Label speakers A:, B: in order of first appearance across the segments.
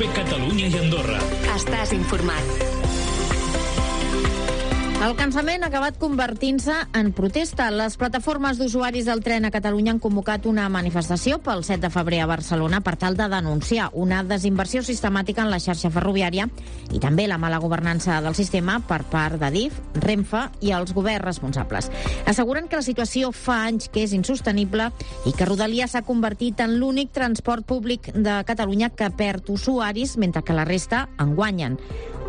A: Renfe Catalunya i Andorra.
B: Estàs informat.
C: El cansament ha acabat convertint-se en protesta. Les plataformes d'usuaris del tren a Catalunya han convocat una manifestació pel 7 de febrer a Barcelona per tal de denunciar una desinversió sistemàtica en la xarxa ferroviària i també la mala governança del sistema per part d'Adif, Renfe i els governs responsables. Asseguren que la situació fa anys que és insostenible i que Rodalies s'ha convertit en l'únic transport públic de Catalunya que perd usuaris mentre que la resta en guanyen.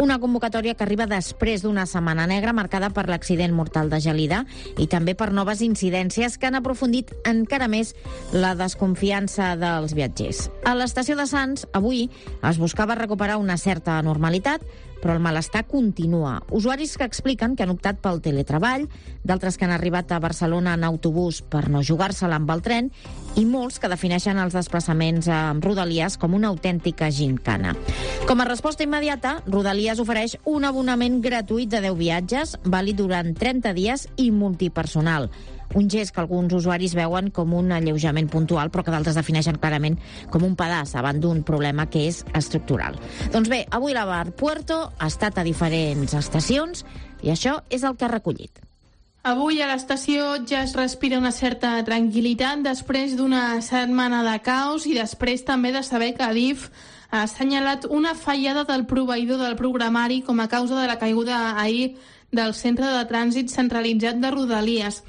C: Una convocatòria que arriba després d'una setmana negra marcada per l'accident mortal de Gelida i també per noves incidències que han aprofundit encara més la desconfiança dels viatgers. A l'estació de Sants, avui, es buscava recuperar una certa normalitat, però el malestar continua. Usuaris que expliquen que han optat pel teletreball, d'altres que han arribat a Barcelona en autobús per no jugar-se-la amb el tren i molts que defineixen els desplaçaments amb Rodalies com una autèntica gincana. Com a resposta immediata, Rodalies ofereix un abonament gratuït de 10 viatges, vàlid durant 30 dies i multipersonal. Un gest que alguns usuaris veuen com un alleujament puntual, però que d'altres defineixen clarament com un pedaç davant d'un problema que és estructural. Doncs bé, avui la Bar Puerto ha estat a diferents estacions i això és el que ha recollit.
D: Avui a l'estació ja es respira una certa tranquil·litat després d'una setmana de caos i després també de saber que Adif ha assenyalat una fallada del proveïdor del programari com a causa de la caiguda ahir del centre de trànsit centralitzat de Rodalies.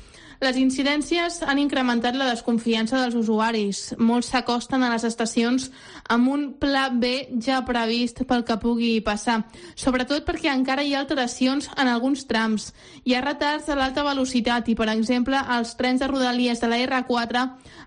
D: Les incidències han incrementat la desconfiança dels usuaris. Molts s'acosten a les estacions amb un pla B ja previst pel que pugui passar, sobretot perquè encara hi ha alteracions en alguns trams. Hi ha retards de l'alta velocitat i, per exemple, els trens de Rodalies de la R4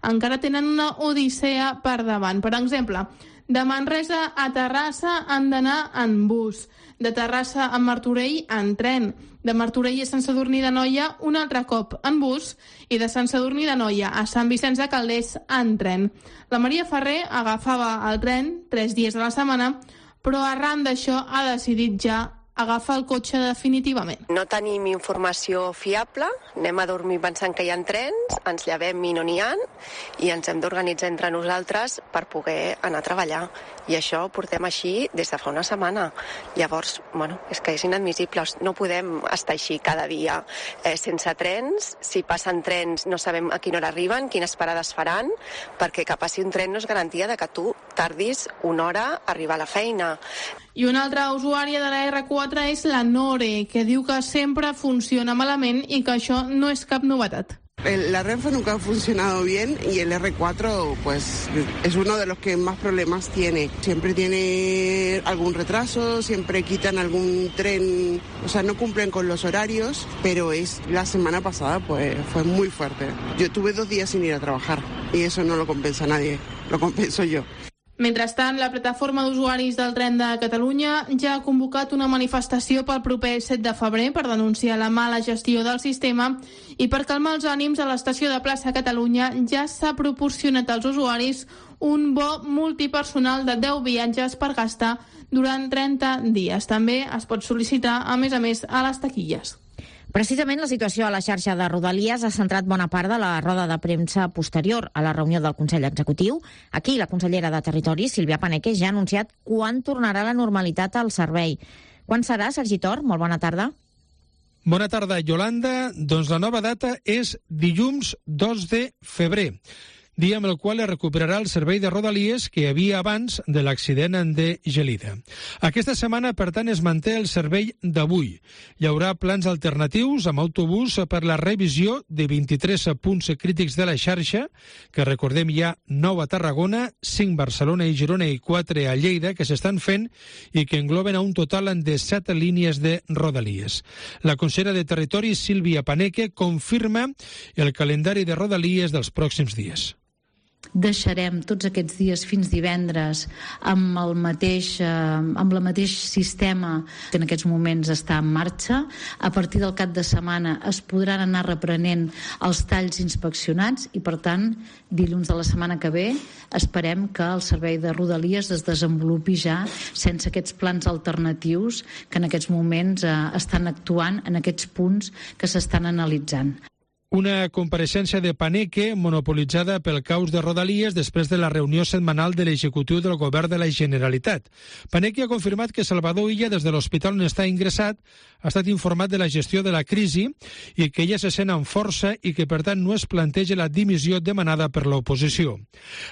D: encara tenen una odissea per davant. Per exemple, de Manresa a Terrassa han d'anar en bus, de Terrassa a Martorell en tren, de Martorell a Sant Sadurní d'Anoia un altre cop en bus i de Sant Sadurní d'Anoia a Sant Vicenç de Calders en tren. La Maria Ferrer agafava el tren 3 dies de la setmana, però arran d'això ha decidit ja agafar el cotxe definitivament.
E: No tenim informació fiable, anem a dormir pensant que hi ha trens, ens llevem i no n'hi ha, i ens hem d'organitzar entre nosaltres per poder anar a treballar. I això ho portem així des de fa una setmana. Llavors, és que és inadmissible. No podem estar així cada dia sense trens. Si passen trens no sabem a quina hora arriben, quines parades faran, perquè que passi un tren no és garantia de que tu tardis una hora a arribar a la feina.
D: I una altra usuària de la R4 és la Nore, que diu que sempre funciona malament i que això no és cap novetat.
F: La Renfe nunca ha funcionado bien y el R4 pues es uno de los que más problemas tiene. Siempre tiene algún retraso, siempre quitan algún tren, o sea, no cumplen con los horarios, pero la semana pasada pues fue muy fuerte. Yo tuve 2 días sin ir a trabajar y eso no lo compensa nadie, lo compenso yo.
D: Mentrestant, la plataforma d'usuaris del tren de Catalunya ja ha convocat una manifestació pel proper 7 de febrer per denunciar la mala gestió del sistema i per calmar els ànims a l'estació de Plaça Catalunya ja s'ha proporcionat als usuaris un bo multipersonal de 10 viatges per gastar durant 30 dies. També es pot sol·licitar, a més, a les taquilles.
C: Precisament la situació a la xarxa de Rodalies ha centrat bona part de la roda de premsa posterior a la reunió del Consell Executiu. Aquí la consellera de Territori, Sílvia Paneque, ja ha anunciat quan tornarà la normalitat al servei. Quan serà, Sergi Tor? Molt bona tarda.
G: Bona tarda, Yolanda. Doncs la nova data és dilluns 2 de febrer. dia amb el qual es recuperarà el servei de Rodalies que hi havia abans de l'accident de Gelida. Aquesta setmana, per tant, es manté el servei d'avui. Hi haurà plans alternatius amb autobús per la revisió de 23 punts crítics de la xarxa, que recordem hi ha 9 a Tarragona, 5 a Barcelona i Girona i 4 a Lleida, que s'estan fent i que engloben a un total de 7 línies de Rodalies. La consellera de Territori, Sílvia Paneque, confirma el calendari de Rodalies dels pròxims dies.
H: Deixarem tots aquests dies fins divendres amb el mateix sistema que en aquests moments està en marxa. A partir del cap de setmana es podran anar reprenent els talls inspeccionats i, per tant, dilluns de la setmana que ve esperem que el servei de Rodalies es desenvolupi ja sense aquests plans alternatius que en aquests moments estan actuant en aquests punts que s'estan analitzant.
G: Una compareixença de Paneque monopolitzada pel caos de Rodalies després de la reunió setmanal de l'executiu del govern de la Generalitat. Paneque ha confirmat que Salvador Illa, des de l'hospital on està ingressat, ha estat informat de la gestió de la crisi i que ella se sent amb força i que, per tant, no es planteja la dimissió demanada per l'oposició.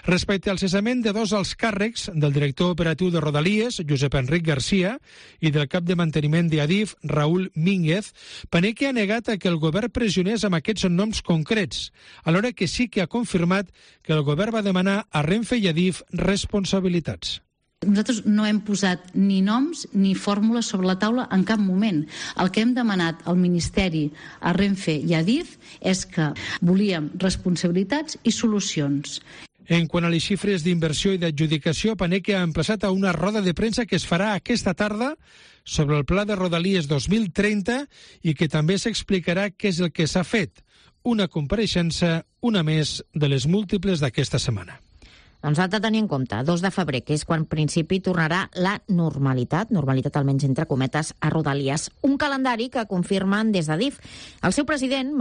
G: Respecte al cessament de dos alts càrrecs, del director operatiu de Rodalies, Josep Enric Garcia, i del cap de manteniment d'Adif, Raúl Mínguez, Paneque ha negat que el govern pressionés amb aquests noms concrets, alhora que sí que ha confirmat que el govern va demanar a Renfe i Adif responsabilitats.
H: Nosaltres no hem posat ni noms ni fórmules sobre la taula en cap moment. El que hem demanat al Ministeri, a Renfe i a Adif és que volíem responsabilitats i solucions.
G: En quant a les xifres d'inversió i d'adjudicació, Paneque ha emplaçat a una roda de premsa que es farà aquesta tarda sobre el pla de Rodalies 2030 i que també s'explicarà què és el que s'ha fet. Una compareixença, una més de les múltiples d'aquesta setmana.
C: Doncs ha de tenir en compte, 2 de febrer, que és quan en principi tornarà la normalitat almenys entre cometes, a Rodalies. Un calendari que confirmen des d'Adif. El seu president,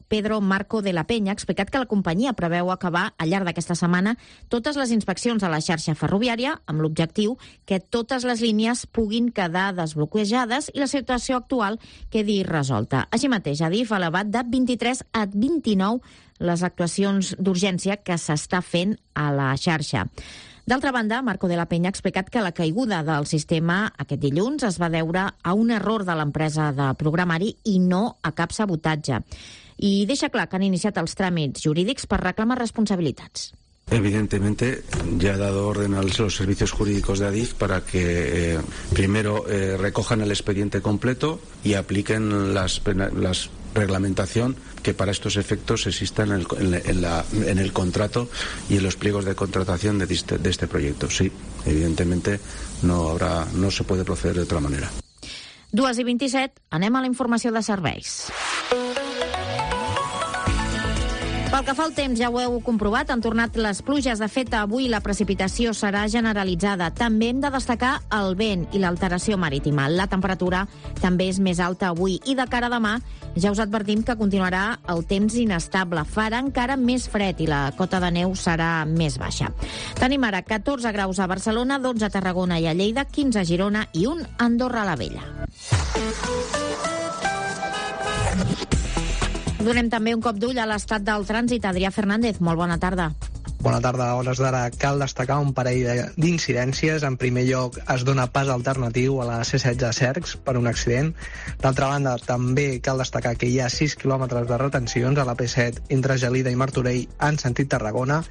C: Pedro Marco de la Peña, ha explicat que la companyia preveu acabar al llarg d'aquesta setmana totes les inspeccions a la xarxa ferroviària amb l'objectiu que totes les línies puguin quedar desbloquejades i la situació actual quedi resolta. Així mateix, Adif ha elevat de 23 a 29 les actuacions d'urgència que s'està fent a la xarxa. D'altra banda, Marco de la Peña ha explicat que la caiguda del sistema aquest dilluns es va deure a un error de l'empresa de programari i no a cap sabotatge. I deixa clar que han iniciat els tràmits jurídics per reclamar responsabilitats.
A: Evidentemente, ya ha dado orden a los servicios jurídicos de Adif para que primero recojan el expediente completo y apliquen las reglamentación que para estos efectos exista en el contrato y en los pliegos de contratación de este proyecto. Sí, evidentemente no se puede proceder de otra manera.
C: 2:27, anem a la informació de serveis. Pel que fa al temps, ja ho heu comprovat, han tornat les pluges. De fet, avui la precipitació serà generalitzada. També hem de destacar el vent i l'alteració marítima. La temperatura també és més alta avui i de cara a demà ja us advertim que continuarà el temps inestable. Farà encara més fred i la cota de neu serà més baixa. Tenim ara 14 graus a Barcelona, 12 a Tarragona i a Lleida, 15 a Girona i 1 a Andorra la Vella. Donem també un cop d'ull a l'estat del trànsit. Adrià Fernández, molt bona tarda.
I: Bona tarda. A hores d'ara cal destacar un parell d'incidències. En primer lloc, es dona pas alternatiu a la C16 a Cercs per un accident. D'altra banda, també cal destacar que hi ha 6 quilòmetres de retencions a la P7 entre Gelida i Martorell en sentit Tarragona.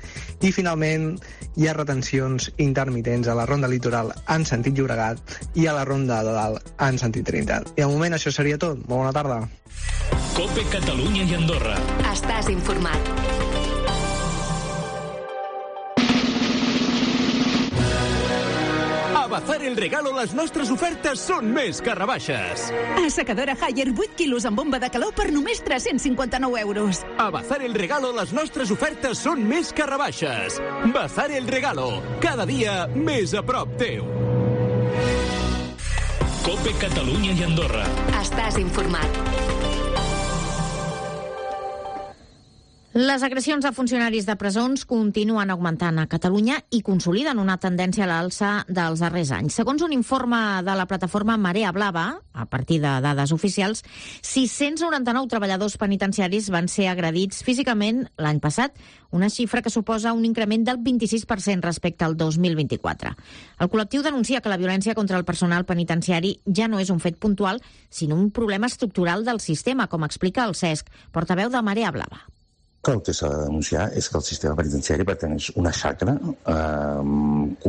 I: I finalment, hi ha retencions intermitents a la Ronda Litoral en sentit Llobregat i a la Ronda de Dalt en sentit Trinitat. I al moment això seria tot. Molt bona tarda.
B: COPE Catalunya i Andorra. Estàs informat.
J: A Bazar el Regalo les nostres ofertes són més que rebaixes.
K: Assecadora Haier 8 quilos amb bomba de calor per només 359 euros.
J: A Bazar el Regalo les nostres ofertes són més que rebaixes. Bazar el Regalo, cada dia més a prop teu.
B: COPE Catalunya i Andorra. Estàs informat.
C: Les agressions a funcionaris de presons continuen augmentant a Catalunya i consoliden una tendència a l'alça dels darrers anys. Segons un informe de la plataforma Marea Blava, a partir de dades oficials, 699 treballadors penitenciaris van ser agredits físicament l'any passat, una xifra que suposa un increment del 26% respecte al 2024. El col·lectiu denuncia que la violència contra el personal penitenciari ja no és un fet puntual, sinó un problema estructural del sistema, com explica el Cesc, portaveu de Marea Blava.
L: El que s'ha de denunciar és que el sistema penitenciari pateix una xacra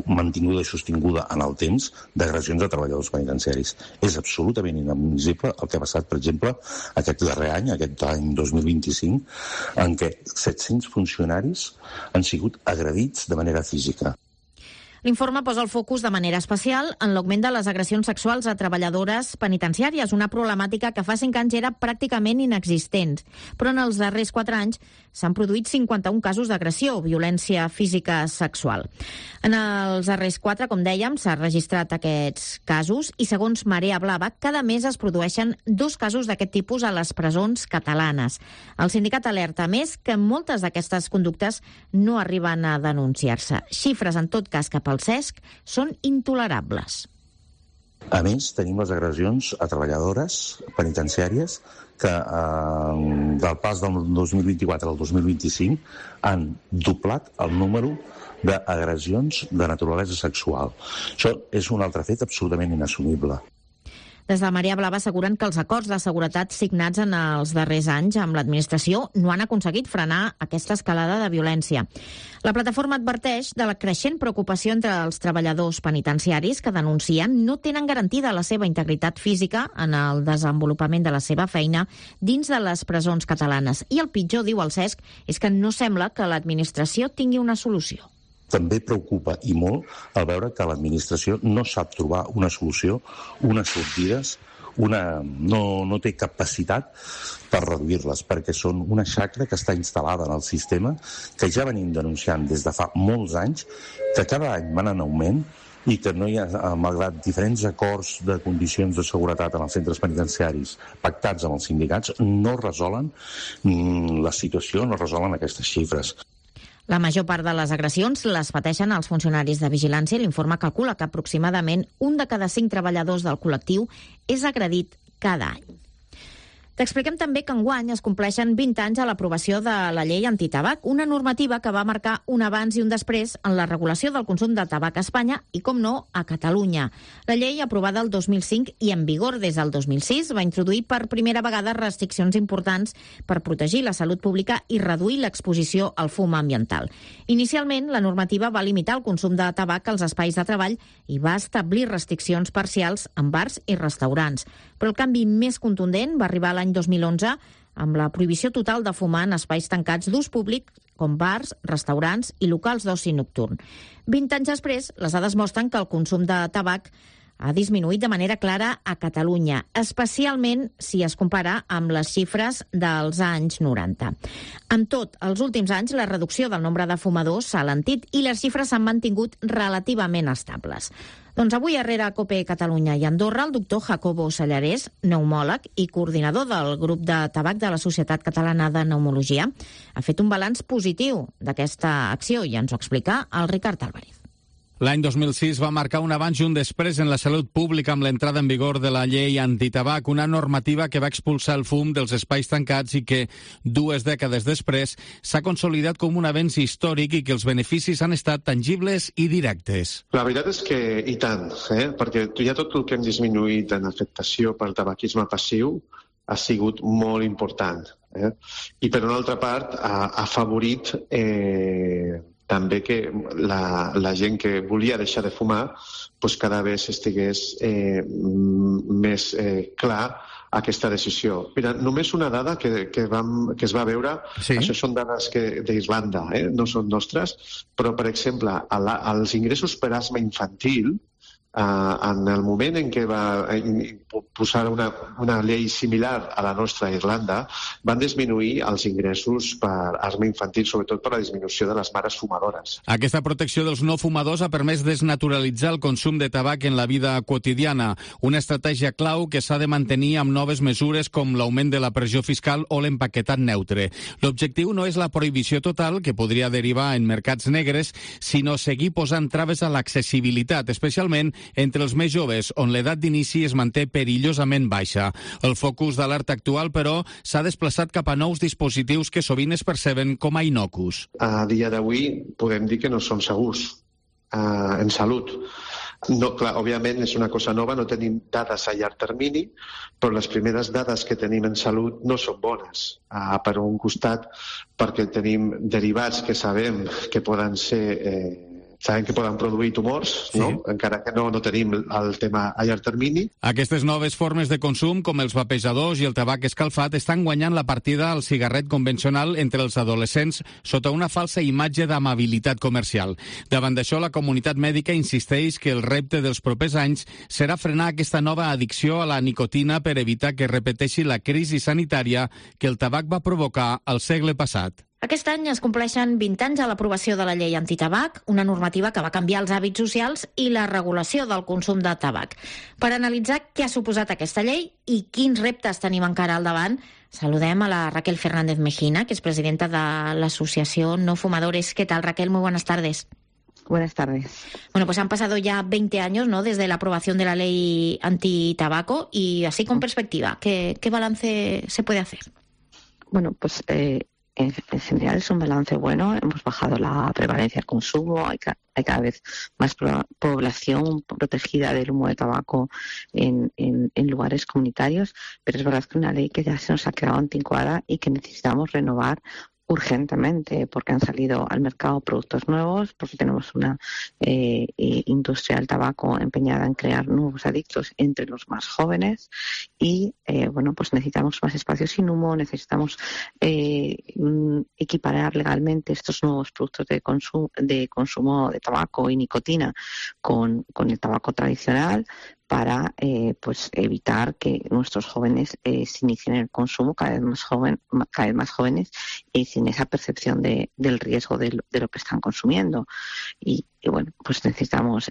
L: mantinguda i sostinguda en el temps d'agressions a treballadors penitenciaris. És absolutament inadmissible el que ha passat, per exemple, aquest darrer any, aquest any 2025, en què 700 funcionaris han sigut agredits de manera física.
C: L'informe posa el focus de manera especial en l'augment de les agressions sexuals a treballadores penitenciàries, una problemàtica que fa 5 anys era pràcticament inexistent. Però en els darrers 4 anys s'han produït 51 casos d'agressió o violència física sexual. En els darrers 4, com dèiem, s'han registrat aquests casos i, segons Marea Blava, cada mes es produeixen 2 casos d'aquest tipus a les presons catalanes. El sindicat alerta, a més, que moltes d'aquestes conductes no arriben a denunciar-se. Xifres, en tot cas, cap al CESC són intolerables.
L: A més, tenim les agressions a treballadores penitenciàries que del pas del 2024 al 2025 han doblat el número d'agressions de naturalesa sexual. Això és un altre fet absolutament inassumible.
C: Des de Marea Blava asseguren que els acords de seguretat signats en els darrers anys amb l'administració no han aconseguit frenar aquesta escalada de violència. La plataforma adverteix de la creixent preocupació entre els treballadors penitenciaris que denuncien no tenen garantida la seva integritat física en el desenvolupament de la seva feina dins de les presons catalanes. I el pitjor, diu el CESC, és que no sembla que l'administració tingui una solució.
L: També preocupa i molt el veure que l'administració no sap trobar una solució, unes sortides, no té capacitat per reduir-les, perquè són una xacra que està instal·lada en el sistema, que ja venim denunciant des de fa molts anys, que cada any van en augment i que no hi ha, malgrat diferents acords de condicions de seguretat en els centres penitenciaris pactats amb els sindicats, no resolen la situació, no resolen aquestes xifres.
C: La major part de les agressions les pateixen els funcionaris de vigilància i l'informe calcula que aproximadament 1 de cada 5 treballadors del col·lectiu és agredit cada any. T'expliquem també que enguany es compleixen 20 anys a l'aprovació de la llei antitabac, una normativa que va marcar un abans i un després en la regulació del consum de tabac a Espanya i, com no, a Catalunya. La llei, aprovada el 2005 i en vigor des del 2006, va introduir per primera vegada restriccions importants per protegir la salut pública i reduir l'exposició al fum ambiental. Inicialment, la normativa va limitar el consum de tabac als espais de treball i va establir restriccions parcials en bars i restaurants. Però el canvi més contundent va arribar l'any 2011 amb la prohibició total de fumar en espais tancats d'ús públic com bars, restaurants i locals d'oci nocturn. 20 anys després, les dades mostren que el consum de tabac ha disminuït de manera clara a Catalunya, especialment si es compara amb les xifres dels anys 90. Amb tot, els últims anys la reducció del nombre de fumadors s'ha alentit i les xifres s'han mantingut relativament estables. Doncs avui, a Rere COPE Catalunya i Andorra, el doctor Jacobo Sallarès, pneumòleg i coordinador del grup de tabac de la Societat Catalana de Pneumologia, ha fet un balanç positiu d'aquesta acció i ens ho explica el Ricard Álvarez.
M: L'any 2006 va marcar un abans i un després en la salut pública amb l'entrada en vigor de la llei antitabac, una normativa que va expulsar el fum dels espais tancats i que, 2 dècades després, s'ha consolidat com un avenç històric i que els beneficis han estat tangibles i directes.
N: La veritat és que, i tant, perquè ja tot el que hem disminuït en afectació pel tabaquisme passiu ha sigut molt important. I, per una altra part, ha afavorit també que la gent que volia deixar de fumar cada vegada estigués més clar aquesta decisió. Mira, només una dada que es va veure, sí. Això són dades d'Irlanda, no són nostres, però, per exemple, els ingressos per asma infantil, en el moment en què va posar una llei similar a la nostra a Irlanda, van disminuir els ingressos per asma infantil, sobretot per la disminució de les mares fumadores.
M: Aquesta protecció dels no fumadors ha permès desnaturalitzar el consum de tabac en la vida quotidiana, una estratègia clau que s'ha de mantenir amb noves mesures com l'augment de la pressió fiscal o l'empaquetat neutre. L'objectiu no és la prohibició total, que podria derivar en mercats negres, sinó seguir posant traves a l'accessibilitat, especialment entre els més joves, on l'edat d'inici es manté perillosament baixa. El focus d'alerta actual, però, s'ha desplaçat cap a nous dispositius que sovint es perceben com a innocus.
N: A dia d'avui podem dir que no són segurs en salut. No, clar, òbviament és una cosa nova, no tenim dades a llarg termini, però les primeres dades que tenim en salut no són bones. Per un costat, perquè tenim derivats que sabem que poden ser sabem que poden produir tumors, no? Encara que no tenim el tema a llarg termini.
M: Aquestes noves formes de consum, com els vapejadors i el tabac escalfat, estan guanyant la partida al cigarret convencional entre els adolescents sota una falsa imatge d'amabilitat comercial. Davant d'això, la comunitat mèdica insisteix que el repte dels propers anys serà frenar aquesta nova addicció a la nicotina per evitar que repeteixi la crisi sanitària que el tabac va provocar al segle passat.
C: Aquest any es compleixen 20 anys a l'aprovació de la llei antitabac, una normativa que va canviar els hàbits socials i la regulació del consum de tabac. Per analitzar què ha suposat aquesta llei i quins reptes tenim encara al davant, saludem a la Raquel Fernández Mejina, que es presidenta de l'Asociació No Fumadores. ¿Qué tal, Raquel? Muy buenas tardes.
O: Buenas tardes.
C: Bueno, pues han pasado ya 20 años, ¿no?, desde la aprobación de la ley antitabaco y así con perspectiva, ¿qué balance se puede hacer?
O: Bueno, pues en general es un balance bueno. Hemos bajado la prevalencia del consumo, hay cada vez más población protegida del humo de tabaco en lugares comunitarios, pero es verdad que una ley que ya se nos ha quedado anticuada y que necesitamos renovar urgentemente, porque han salido al mercado productos nuevos, porque tenemos una industria del tabaco empeñada en crear nuevos adictos entre los más jóvenes y, bueno, pues necesitamos más espacios sin humo, necesitamos equiparar legalmente estos nuevos productos de consumo de tabaco y nicotina con el tabaco tradicional, para pues evitar que nuestros jóvenes se inicien en el consumo cada vez más jóvenes y sin esa percepción del riesgo de lo que están consumiendo. Y bueno, pues necesitamos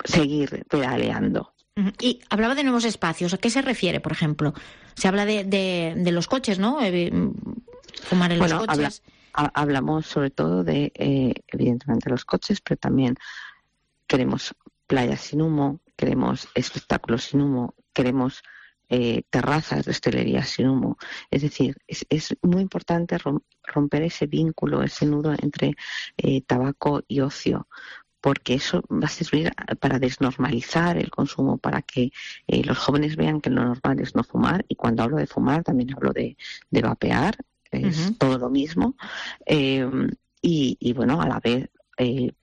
O: seguir pedaleando.
C: Y hablaba de nuevos espacios. ¿A qué se refiere, por ejemplo? Se habla de los coches, ¿no? Fumar en los coches.
O: Hablamos sobre todo de, evidentemente, los coches, pero también queremos playas sin humo, queremos espectáculos sin humo, queremos terrazas de hostelería sin humo. Es decir, es muy importante romper ese vínculo, ese nudo entre tabaco y ocio, porque eso va a servir para desnormalizar el consumo, para que los jóvenes vean que lo normal es no fumar. Y cuando hablo de fumar también hablo de vapear, es todo lo mismo. Y bueno, a la vez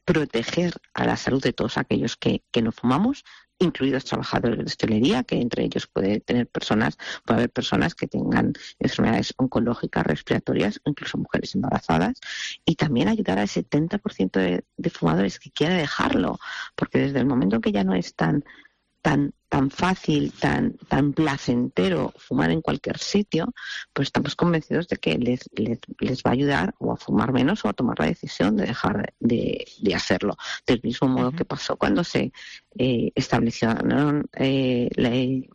O: proteger a la salud de todos aquellos que no fumamos, incluidos trabajadores de hostelería, que entre ellos puede haber personas que tengan enfermedades oncológicas, respiratorias, o incluso mujeres embarazadas, y también ayudar al 70% de fumadores que quiera dejarlo, porque desde el momento que ya no es tan fácil, tan placentero fumar en cualquier sitio, pues estamos convencidos de que les va a ayudar o a fumar menos o a tomar la decisión de dejar de hacerlo. Del mismo modo que pasó cuando se establecieron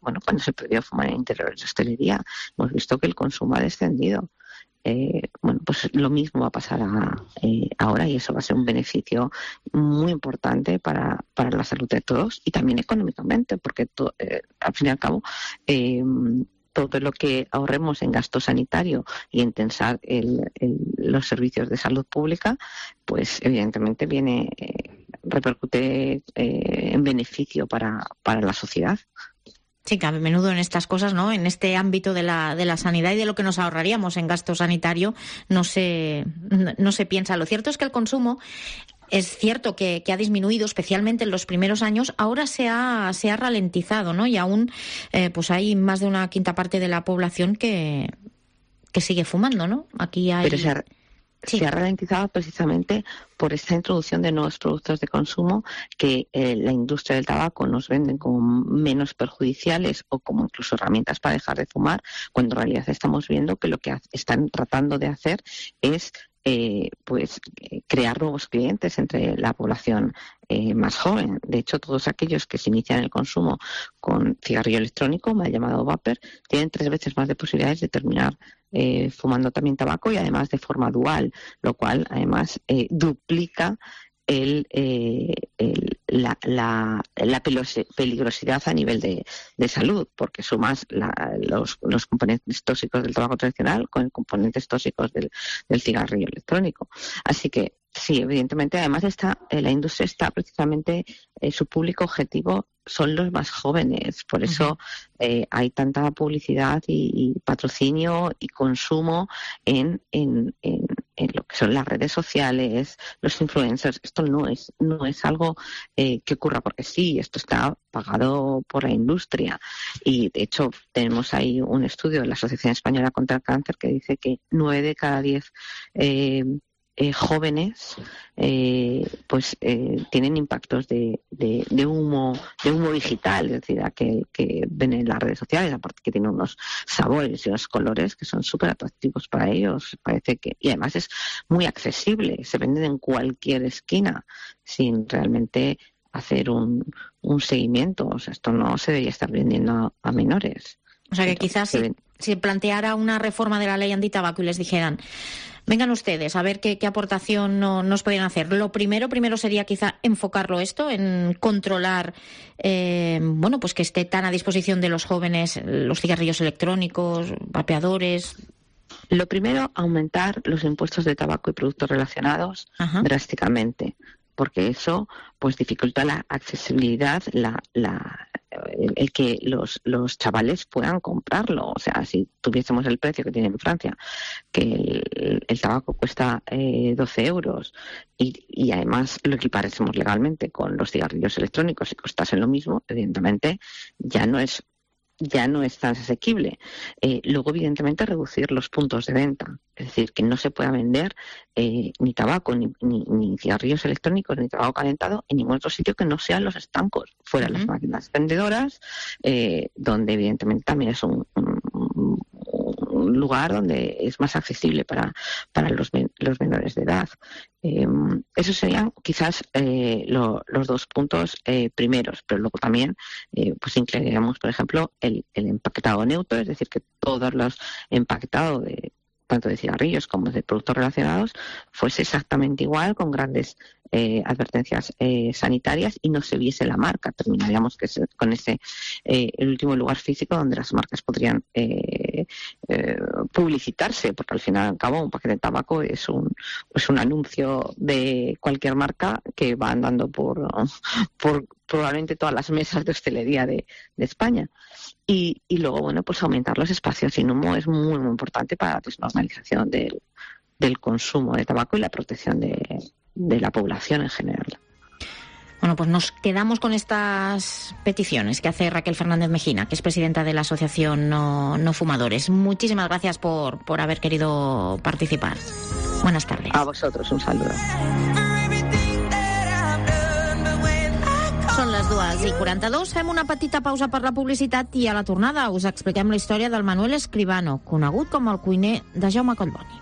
O: cuando se prohibió fumar en interiores de hostelería. Hemos visto que el consumo ha descendido. Bueno, pues lo mismo va a pasar ahora, y eso va a ser un beneficio muy importante para la salud de todos y también económicamente, porque al fin y al cabo todo lo que ahorremos en gasto sanitario y en tensar los servicios de salud pública, pues evidentemente repercute en beneficio para la sociedad.
C: Sí, que a menudo en estas cosas, ¿no?, en este ámbito de la sanidad y de lo que nos ahorraríamos en gasto sanitario, no se piensa. Lo cierto es que el consumo es cierto que ha disminuido, especialmente en los primeros años. Ahora se ha ralentizado, ¿no? Y aún pues hay más de una quinta parte de la población que sigue fumando, ¿no? Aquí hay...
O: Pero se ha ralentizado precisamente por esta introducción de nuevos productos de consumo que la industria del tabaco nos venden como menos perjudiciales o como incluso herramientas para dejar de fumar, cuando en realidad estamos viendo que lo que están tratando de hacer es crear nuevos clientes entre la población más joven. De hecho, todos aquellos que se inician el consumo con cigarrillo electrónico, mal llamado vapor, tienen 3 veces más de posibilidades de terminar fumando también tabaco, y además de forma dual, lo cual además duplica la peligrosidad a nivel de salud, porque sumas los componentes tóxicos del tabaco tradicional con componentes tóxicos del cigarrillo electrónico. Así que sí, evidentemente, además la industria está precisamente, su público objetivo son los más jóvenes, por eso hay tanta publicidad y patrocinio y consumo en lo que son las redes sociales, los influencers. Esto no es algo que ocurra porque sí, esto está pagado por la industria. Y de hecho tenemos ahí un estudio de la Asociación Española contra el Cáncer que dice que 9 de cada 10 jóvenes tienen impactos de humo digital, es decir, aquel que ven en las redes sociales, aparte que tiene unos sabores y unos colores que son súper atractivos para ellos, parece que, y además es muy accesible, se venden en cualquier esquina sin realmente hacer un seguimiento. O sea, esto no se debería estar vendiendo a menores.
C: O sea que quizás si planteara una reforma de la ley antitabaco y les dijeran, vengan ustedes a ver qué aportación nos podrían hacer. Lo primero sería quizá enfocarlo esto en controlar, pues que esté tan a disposición de los jóvenes los cigarrillos electrónicos, vapeadores.
O: Lo primero, aumentar los impuestos de tabaco y productos relacionados drásticamente, porque eso pues dificulta la accesibilidad, el que los chavales puedan comprarlo. O sea, si tuviésemos el precio que tiene en Francia, que el tabaco cuesta 12 euros y además lo equiparásemos legalmente con los cigarrillos electrónicos y costasen lo mismo, evidentemente ya no es tan asequible. Luego, evidentemente, reducir los puntos de venta. Es decir, que no se pueda vender ni tabaco, ni cigarrillos electrónicos, ni tabaco calentado en ningún otro sitio que no sean los estancos, fuera las máquinas vendedoras, donde evidentemente también es un lugar donde es más accesible para los menores de edad. Esos serían quizás los 2 puntos primeros, pero luego también pues incluiríamos, por ejemplo, el empaquetado neutro, es decir, que todos los empaquetados tanto de cigarrillos como de productos relacionados fuese exactamente igual, con grandes advertencias sanitarias, y no se viese la marca. Terminaríamos con el último lugar físico donde las marcas podrían publicitarse, porque al final y al cabo un paquete de tabaco es un anuncio de cualquier marca que va andando por probablemente todas las mesas de hostelería de España. Y luego, pues aumentar los espacios sin humo es muy, muy importante para la desnormalización del consumo de tabaco y la protección de la población en general.
C: Bueno, pues nos quedamos con estas peticiones que hace Raquel Fernández Mejina, que es presidenta de la Asociación No Fumadores. Muchísimas gracias por haber querido participar. Buenas tardes.
O: A vosotros, un saludo.
C: Són les 2:42. Fem una petita pausa per la publicitat i a la tornada us expliquem la història del Manuel Escribano, conegut com el cuiner de Jaume Collboni.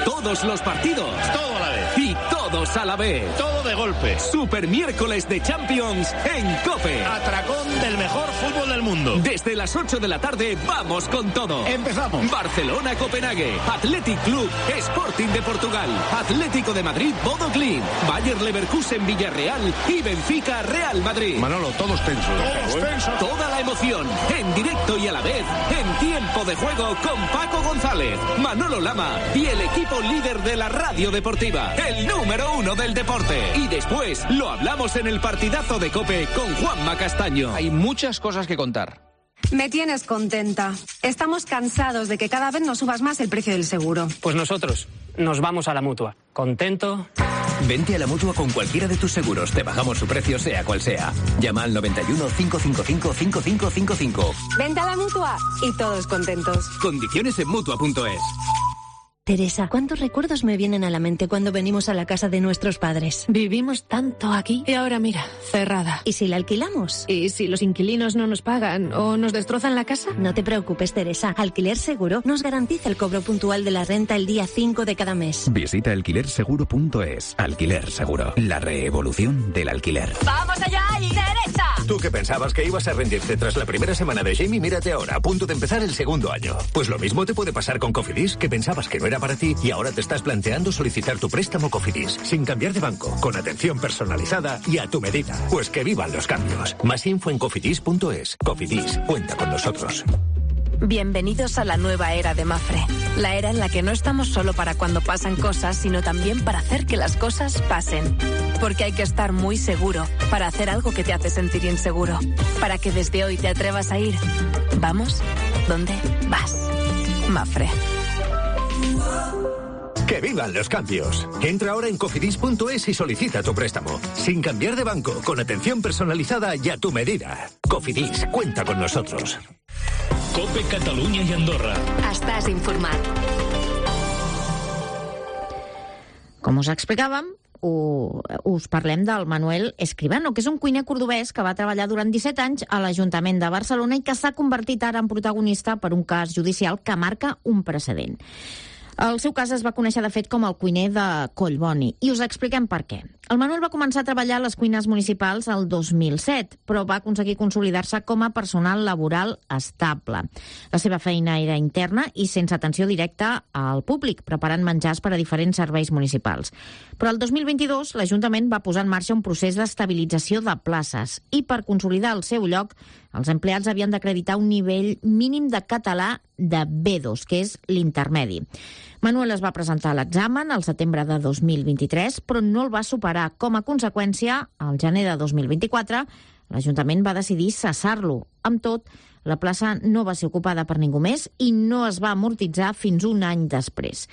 J: Todos los partidos, todo a la vez y todos a la vez.
B: Todo de golpe.
J: Super miércoles de Champions en COPE.
B: Atracón del mejor fútbol del mundo.
J: Desde las 8 de la tarde vamos con todo.
B: Empezamos.
J: Barcelona-Copenhague, Athletic Club, Sporting de Portugal, Atlético de Madrid, Bodo Glimt, Bayer Leverkusen, Villarreal y Benfica, Real Madrid.
B: Manolo, todos tensos.
J: Toda la emoción, en directo y a la vez, en tiempo de juego con Paco González, Manolo Lama y el equipo líder de la radio deportiva, el número 1 del deporte. Y después lo hablamos en el partidazo de COPE con Juanma Castaño.
P: Hay muchas cosas que contar.
Q: Me tienes contenta. Estamos cansados de que cada vez nos subas más el precio del seguro.
R: Pues nosotros nos vamos a la Mutua. ¿Contento?
S: Vente a la Mutua con cualquiera de tus seguros. Te bajamos su precio sea cual sea. Llama al 91 555 5555.
Q: Vente a la Mutua y todos contentos.
J: Condiciones en Mutua.es.
T: Teresa, ¿cuántos recuerdos me vienen a la mente cuando venimos a la casa de nuestros padres?
U: Vivimos tanto aquí y ahora mira, cerrada.
T: ¿Y si la alquilamos?
U: ¿Y si los inquilinos no nos pagan o nos destrozan la casa?
T: No te preocupes, Teresa. Alquiler Seguro nos garantiza el cobro puntual de la renta el día 5 de cada mes.
V: Visita alquilerseguro.es. Alquiler Seguro. La revolución del alquiler.
K: ¡Vamos allá y derecha!
W: Tú que pensabas que ibas a rendirte tras la primera semana de Jamie, mírate ahora, a punto de empezar el segundo año. Pues lo mismo te puede pasar con Cofidis, que pensabas que no era para ti y ahora te estás planteando solicitar tu préstamo Cofidis, sin cambiar de banco, con atención personalizada y a tu medida. Pues que vivan los cambios. Más info en cofidis.es. Cofidis, cuenta con nosotros.
X: Bienvenidos a la nueva era de Mafre. La era en la que no estamos solo para cuando pasan cosas, sino también para hacer que las cosas pasen. Porque hay que estar muy seguro para hacer algo que te hace sentir inseguro. Para que desde hoy te atrevas a ir. Vamos, ¿dónde vas? Mafre.
W: ¡Que vivan los cambios! Entra ahora en cofidis.es y solicita tu préstamo. Sin cambiar de banco, con atención personalizada y a tu medida. Cofidis, cuenta con nosotros.
B: COPE Catalunya i Andorra.
X: Estàs informat.
C: Com us explicàvem, us parlem del Manuel Escribano, que és un cuiner cordobès que va treballar durant 17 anys a l'Ajuntament de Barcelona i que s'ha convertit ara en protagonista per un cas judicial que marca un precedent. El seu cas es va conèixer, de fet, com el cuiner de Collboni, i us expliquem per què. El Manuel va començar a treballar a les cuines municipals el 2007, però va aconseguir consolidar-se com a personal laboral estable. La seva feina era interna i sense atenció directa al públic, preparant menjars per a diferents serveis municipals. Però el 2022 l'Ajuntament va posar en marxa un procés d'estabilització de places i per consolidar el seu lloc els empleats havien d'acreditar un nivell mínim de català de B2, que és l'intermedi. Manuel es va presentar a l'examen al setembre de 2023, però no el va superar. Com a conseqüència, al gener de 2024, l'Ajuntament va decidir cessar-lo. Amb tot, la plaça no va ser ocupada per ningú més i no es va amortitzar fins un any després.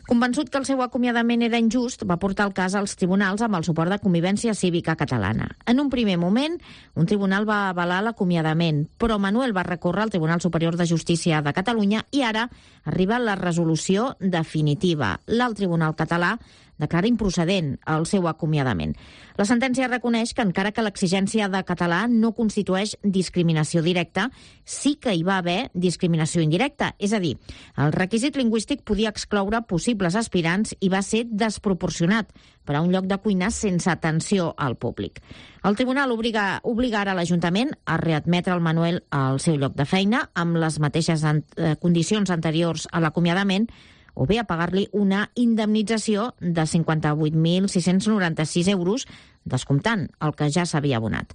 C: Convençut que el seu acomiadament era injust, va portar el cas als tribunals amb el suport de Convivència Cívica Catalana. En un primer moment, un tribunal va avalar l'acomiadament, però Manuel va recórrer al Tribunal Superior de Justícia de Catalunya i ara arriba la resolució definitiva. L'alt tribunal català declara improcedent el seu acomiadament. La sentència reconeix que, encara que l'exigència de català no constitueix discriminació directa, sí que hi va haver discriminació indirecta. És a dir, el requisit lingüístic podia excloure possibles aspirants i va ser desproporcionat per a un lloc de cuina sense atenció al públic. El tribunal obliga ara l'Ajuntament a readmetre el Manuel al seu lloc de feina amb les mateixes condicions anteriors a l'acomiadament, o bé a pagar-li una indemnització de 58.696 euros, descomptant el que ja s'havia abonat.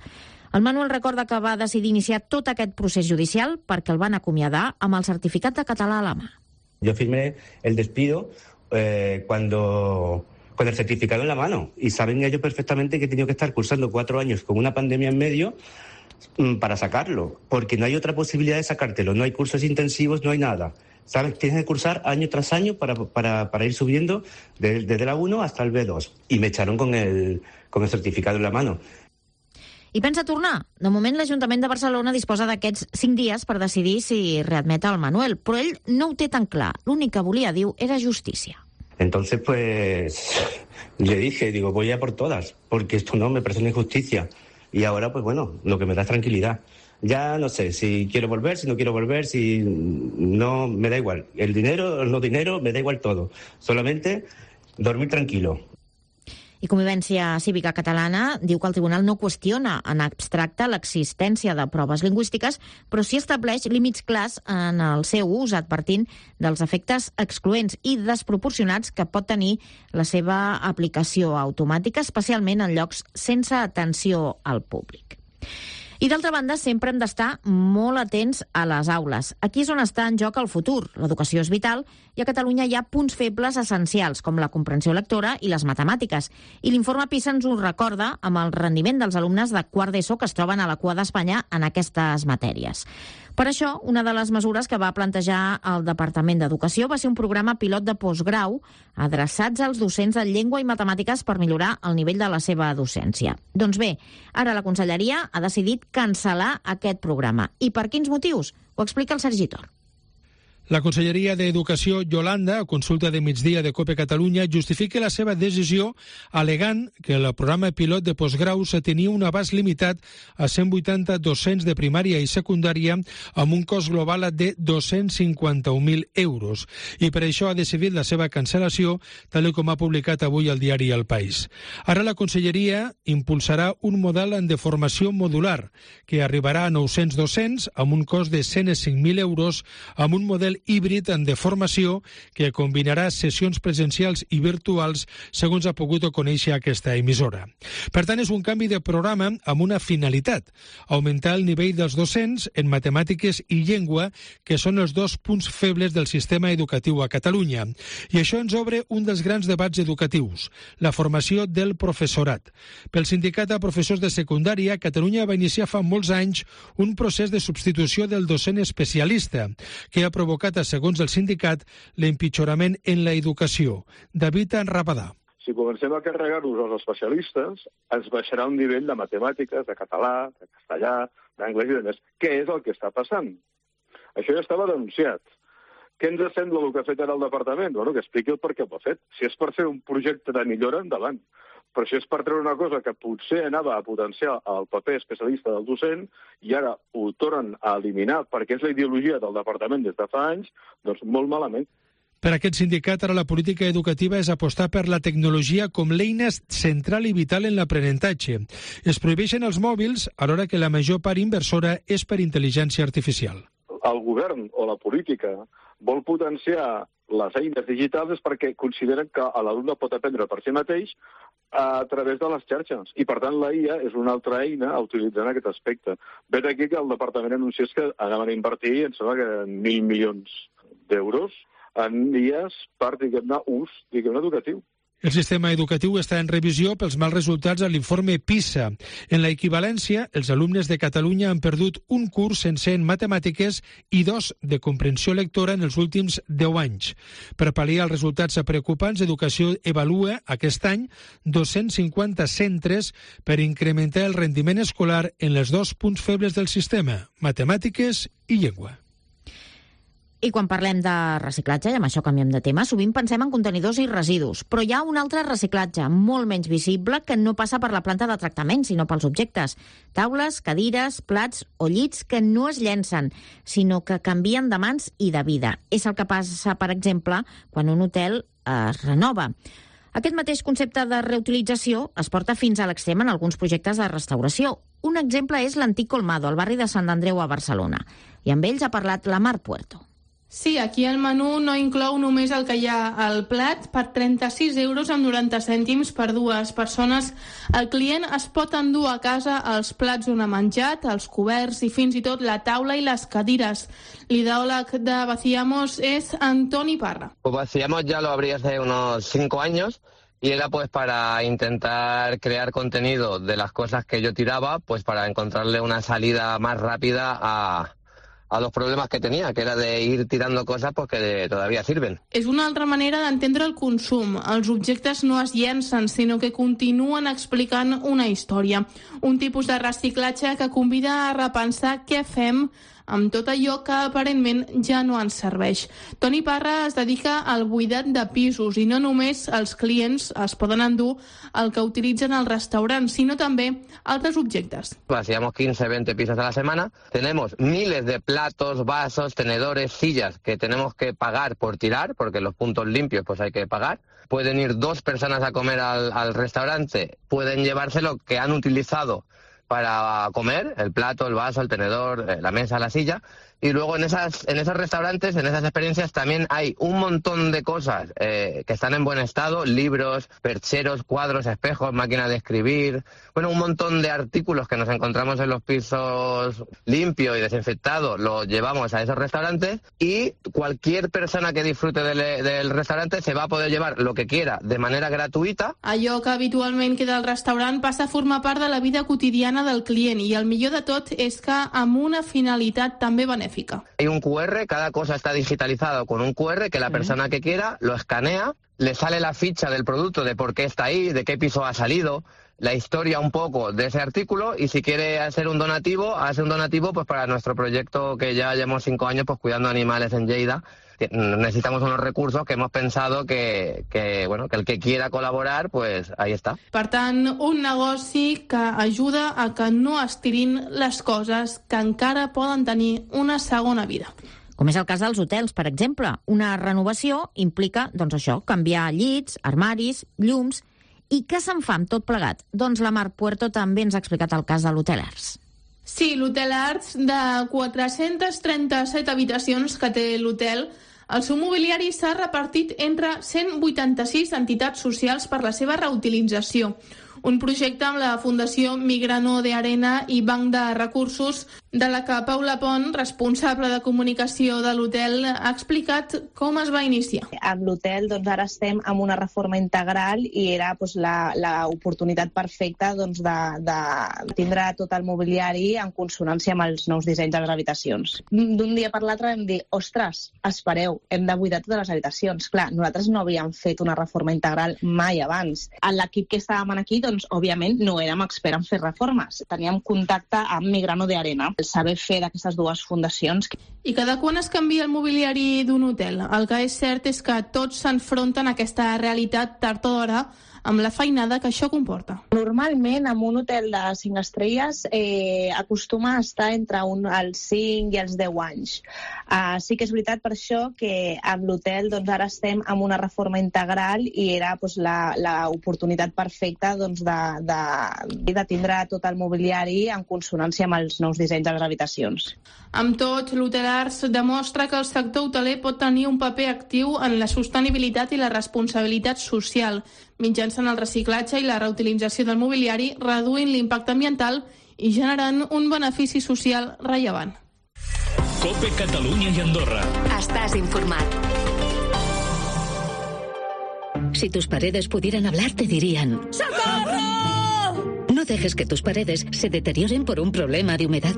C: El Manuel recorda que va decidir iniciar tot aquest procés judicial perquè el van acomiadar amb el certificat de català a la mà.
D: Yo firmé el despido con el certificado en la mano y saben ellos perfectamente que he tenido que estar cursando 4 años con una pandemia en medio para sacarlo, porque no hay otra posibilidad de sacártelo, no hay cursos intensivos, no hay nada. ¿Sabes? Tienes que cursar año tras año para ir subiendo desde la 1 hasta el B2. Y me echaron con el certificado en la mano.
C: I pensa tornar. De moment, l'Ajuntament de Barcelona disposa d'aquests 5 dies per decidir si readmet el Manuel, però ell no ho té tan clar. L'únic que volia, diu, era justícia.
D: Entonces, pues, le dije, voy a por todas, porque esto no me parece una injusticia. Y ahora, pues bueno, lo que me da es tranquilidad. Ya no sé si quiero volver, si no quiero volver, si no, me da igual. El dinero, el no dinero, me da igual todo. Solamente dormir tranquilo.
C: I Convivència Cívica Catalana diu que el tribunal no qüestiona en abstracte l'existència de proves lingüístiques, però sí estableix límits clars en el seu ús, advertint dels efectes excloents i desproporcionats que pot tenir la seva aplicació automàtica, especialment en llocs sense atenció al públic. I d'altra banda, sempre hem d'estar molt atents a les aules. Aquí és on està en joc el futur. L'educació és vital i a Catalunya hi ha punts febles essencials, com la comprensió lectora i les matemàtiques. I l'informe PISA ens ho recorda amb el rendiment dels alumnes de quart d'ESO que es troben a la cua d'Espanya en aquestes matèries. Per això, una de les mesures que va plantejar el Departament d'Educació va ser un programa pilot de postgrau adreçats als docents de llengua i matemàtiques per millorar el nivell de la seva docència. Doncs bé, ara la Conselleria ha decidit cancel·lar aquest programa. I per quins motius? Ho explica el Sergi Tor.
G: La Conselleria d'Educació Yolanda, a consulta de migdia de COPE Catalunya, justifica la seva decisió alegant que el programa pilot de postgraus tenia un abast limitat a 180 docents de primària i secundària amb un cost global de 251.000 euros i per això ha decidit la seva cancel·lació, tal com ha publicat avui el diari El País. Ara la Conselleria impulsarà un model de formació modular que arribarà a 900 docents amb un cost de 105.000 euros amb un model híbrid de formació que combinarà sessions presencials i virtuals, segons ha pogut conèixer aquesta emissora. Per tant, és un canvi de programa amb una finalitat, augmentar el nivell dels docents en matemàtiques i llengua, que són els 2 punts febles del sistema educatiu a Catalunya. I això ens obre un dels grans debats educatius, la formació del professorat. Pel sindicat de professors de secundària, Catalunya va iniciar fa molts anys un procés de substitució del docent especialista, que ha provocat provocat, segons el sindicat, l'empitjorament en la educació. David Rabadà.
E: Si comencem a carregar-nos els especialistes, ens baixarà un nivell de matemàtiques, de català, de castellà, d'anglès i de més. Què és el que està passant? Això ja estava denunciat. Què ens sembla el que ha fet ara el departament? Bueno, que expliqui el per què ho ha fet. Si és per fer un projecte de millora, endavant. Però si és per treure una cosa que potser anava a potenciar el paper especialista del docent i ara ho tornen a eliminar perquè és la ideologia del departament des de fa anys, doncs molt malament.
G: Per aquest sindicat, ara la política educativa és apostar per la tecnologia com l'eina central i vital en l'aprenentatge. Es prohibeixen els mòbils, alhora que la major part inversora és per intel·ligència artificial.
E: El govern o la política vol potenciar les eines digitals és perquè consideren que l'alumne pot aprendre per si mateix a través de les xarxes. I, per tant, la IA és una altra eina a utilitzar en aquest aspecte. Ve d'aquí que el departament anunciés que anaven a invertir, em sembla que 1.000 milions d'euros en dies per, diguem-ne, ús, educatiu.
G: El sistema educatiu està en revisió pels mals resultats a l'informe PISA. En la equivalència, els alumnes de Catalunya han perdut un curs sencer en matemàtiques i 2 de comprensió lectora en els últims 10 anys. Per pal·liar els resultats preocupants, Educació evalua aquest any 250 centres per incrementar el rendiment escolar en els 2 punts febles del sistema, matemàtiques i llengua.
C: I quan parlem de reciclatge, i amb això canviem de tema, sovint pensem en contenidors i residus. Però hi ha un altre reciclatge, molt menys visible, que no passa per la planta de tractament, sinó pels objectes. Taules, cadires, plats o llits que no es llencen, sinó que canvien de mans i de vida. És el que passa, per exemple, quan un hotel es renova. Aquest mateix concepte de reutilització es porta fins a l'extrem en alguns projectes de restauració. Un exemple és l'antic Colmado, al barri de Sant Andreu a Barcelona. I amb ells ha parlat la Mar Puerto.
F: Sí, aquí el menú no inclou només el que hi ha al plat. Per 36 euros amb 90 cèntims per 2 persones, el client es pot endur a casa els plats on ha menjat, els coberts i fins i tot la taula i les cadires. L'ideòleg de Vaciamos és Antoni Parra.
H: Pues Vaciamos ya lo abrí hace unos 5 años y era pues para intentar crear contenido de las cosas que yo tiraba, pues para encontrarle una salida más rápida a los problemes que tenia, que era de ir tirando cosas pues, que todavía sirven.
F: És una altra manera d'entendre el consum. Els objectes no es llencen, sinó que continuen explicant una història. Un tipus de reciclatge que convida a repensar què fem amb tot allò que aparentment ja no ens serveix. Toni Parra es dedica al buidat de pisos i no només els clients es poden endur el que utilitzen al restaurant, sinó també altres objectes.
H: Hacíamos 15-20 pisos a la semana. Tenemos miles de platos, vasos, tenedores, sillas que tenemos que pagar por tirar, porque los puntos limpios pues hay que pagar. Pueden ir 2 personas a comer al restaurante, pueden llevarse lo que han utilizado para comer, el plato, el vaso, el tenedor, la mesa, la silla. Y luego en esos restaurantes, en esas experiencias, también hay un montón de cosas que están en buen estado, libros, percheros, cuadros, espejos, máquinas de escribir, bueno, un montón de artículos que nos encontramos en los pisos limpios y desinfectados, los llevamos a esos restaurantes y cualquier persona que disfrute del restaurante se va a poder llevar lo que quiera de manera gratuïta.
F: Allò que habitualment queda al restaurant passa a formar part de la vida quotidiana del client i el millor de tot és que amb una finalitat també benèfica.
H: Hay un QR, cada cosa está digitalizado con un QR que la persona que quiera lo escanea, le sale la ficha del producto, de por qué está ahí, de qué piso ha salido, la historia un poco de ese artículo y si quiere hacer un donativo, hace un donativo pues para nuestro proyecto que ya llevamos 5 años pues cuidando animales en Lleida. Necesitamos unos recursos que hemos pensado que el que quiera colaborar, pues ahí está.
F: Per tant, un negoci que ajuda a que no es tirin les coses que encara poden tenir una segona vida.
C: Com és el cas dels hotels, per exemple. Una renovació implica, doncs això, canviar llits, armaris, llums. I què se'n fa amb tot plegat? Doncs la Mar Puerto també ens ha explicat el cas de l'Hotel Arts.
F: Sí, l'Hotel Arts, de 437 habitacions que té l'hotel, el seu mobiliari s'ha repartit entre 186 entitats socials per la seva reutilització. Un projecte amb la Fundació Migrano de Arena i Banc de Recursos de la que Paula Pont, responsable de comunicació de l'hotel, ha explicat com es va iniciar.
A: Amb l'hotel ara estem amb una reforma integral i era l'oportunitat perfecta de tindre tot el mobiliari en consonància amb els nous dissenys de les habitacions. D'un dia per l'altre vam dir, ostres, espereu, hem de buidar totes les habitacions. Clar, nosaltres no havíem fet una reforma integral mai abans. En l'equip que estàvem aquí, òbviament, no érem experts en fer reformes. Teníem contacte amb Migrano de Arena, el saber fer d'aquestes dues fundacions.
F: I cada quan es canvia el mobiliari d'un hotel? El que és cert és que tots s'enfronten a aquesta realitat tard o d'hora amb la feinada que això comporta.
A: Normalment, en un hotel de 5 estrelles acostuma a estar entre els 5 i els 10 anys. Sí que és veritat per això que amb l'hotel ara estem amb una reforma integral i era l'oportunitat perfecta de tindre tot el mobiliari en consonància amb els nous dissenys de les habitacions.
F: Amb tot, l'Hotelars demostra que el sector hoteler pot tenir un paper actiu en la sostenibilitat i la responsabilitat social, mitjançant el reciclatge i la reutilització del mobiliari, reduint l'impacte ambiental i generant un benefici social rellevant.
B: COPE Catalunya i Andorra.
I: Estás informat. Si tus paredes pudieran hablar, te dirían: ¡Socorro! No dejes que tus paredes se deterioren por un problema de humedad.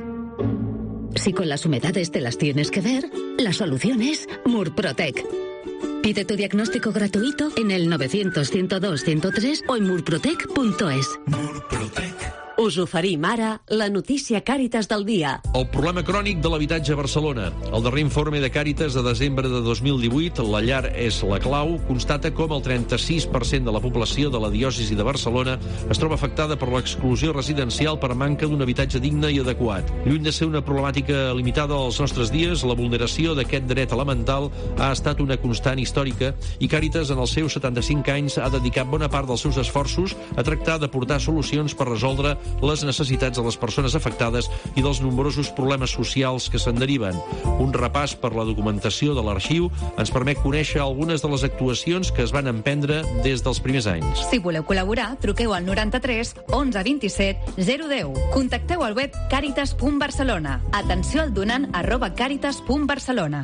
I: Si con las humedades te las tienes que ver, la solución es Murprotec. Pide tu diagnóstico gratuito en el 900-102-103 o en murprotec.es.
V: Murprotec.
I: Us oferim ara la notícia Càritas del dia.
L: El problema crònic de l'habitatge a Barcelona. El darrer informe de Càritas de desembre de 2018, La llar és la clau, constata com el 36% de la població de la diòcesi de Barcelona es troba afectada per l'exclusió residencial per manca d'un habitatge digne i adequat. Lluny de ser una problemàtica limitada als nostres dies, la vulneració d'aquest dret elemental ha estat una constant històrica i Càritas, en els seus 75 anys, ha dedicat bona part dels seus esforços a tractar d'aportar solucions per resoldre les necessitats de les persones afectades i dels nombrosos problemes socials que se'n deriven. Un repàs per la documentació de l'arxiu ens permet conèixer algunes de les actuacions que es van emprendre des dels primers anys.
P: Si voleu col·laborar, truqueu al 93 11 27 010. Contacteu al web caritas.barcelona. Atenció al donant @caritas.barcelona.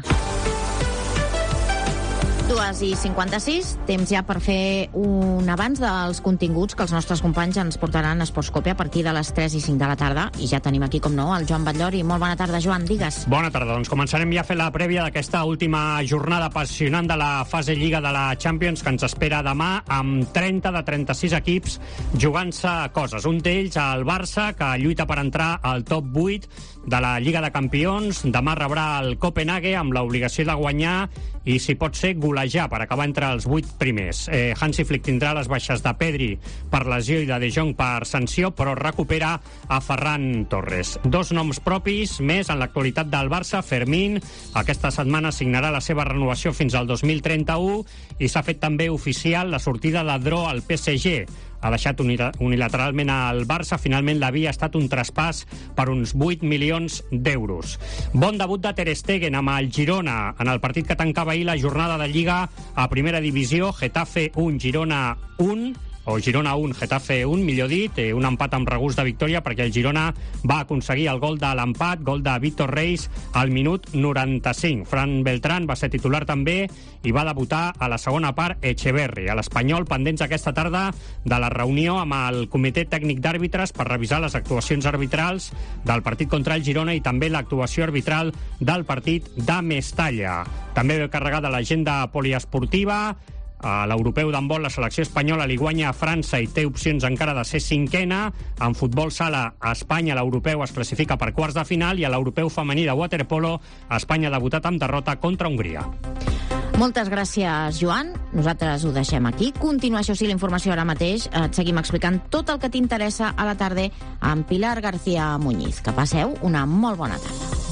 C: 2:56, temps ja per fer un avanç dels continguts que els nostres companys ens portaran a Esports Cope a partir de les 3 i 5 de la tarda. I ja tenim aquí, com no, el Joan Batllori. Molt bona tarda, Joan, digues.
Y: Bona tarda, doncs començarem ja a fer la prèvia d'aquesta última jornada apassionant de la fase Lliga de la Champions que ens espera demà amb 30 de 36 equips jugant-se coses. Un d'ells, el Barça, que lluita per entrar al top 8 de la Lliga de Campions. Demà rebrà el Copenhague amb l'obligació de guanyar i, si pot ser, golejar per acabar entre els 8 primers. Hansi Flick tindrà les baixes de Pedri per lesió i de Jong per sanció, però recupera a Ferran Torres. 2 noms propis més en l'actualitat del Barça. Fermín aquesta setmana signarà la seva renovació fins al 2031 i s'ha fet també oficial la sortida de Dro al PSG. Ha deixat unilateralment al Barça. Finalment l'havia estat un traspàs per uns 8 milions d'euros. Bon debut de Ter Stegen amb el Girona en el partit que tancava ahir la jornada de Lliga a Primera Divisió. Getafe 1, Girona 1, o Girona 1, Getafe 1, millor dit, un empat amb regust de victòria perquè el Girona va aconseguir el gol de l'empat, gol de Víctor Reis al minut 95. Fran Beltrán va ser titular també i va debutar a la segona part Echeverri. A l'Espanyol, pendents aquesta tarda de la reunió amb el comitè tècnic d'àrbitres per revisar les actuacions arbitrals del partit contra el Girona i també l'actuació arbitral del partit de Mestalla. També ve carregada l'agenda poliesportiva. A l'europeu d'handbol, la selecció espanyola li guanya a França i té opcions encara de ser 5è. En futbol sala, a Espanya l'europeu es classifica per quarts de final i a l'europeu femení de waterpolo, Espanya ha debutat amb derrota contra Hongria.
C: Moltes gràcies, Joan. Nosaltres ho deixem aquí. Continua, això sí, la informació ara mateix. Et seguim explicant tot el que t'interessa a la tarda amb Pilar García Muñiz. Que passeu una molt bona tarda.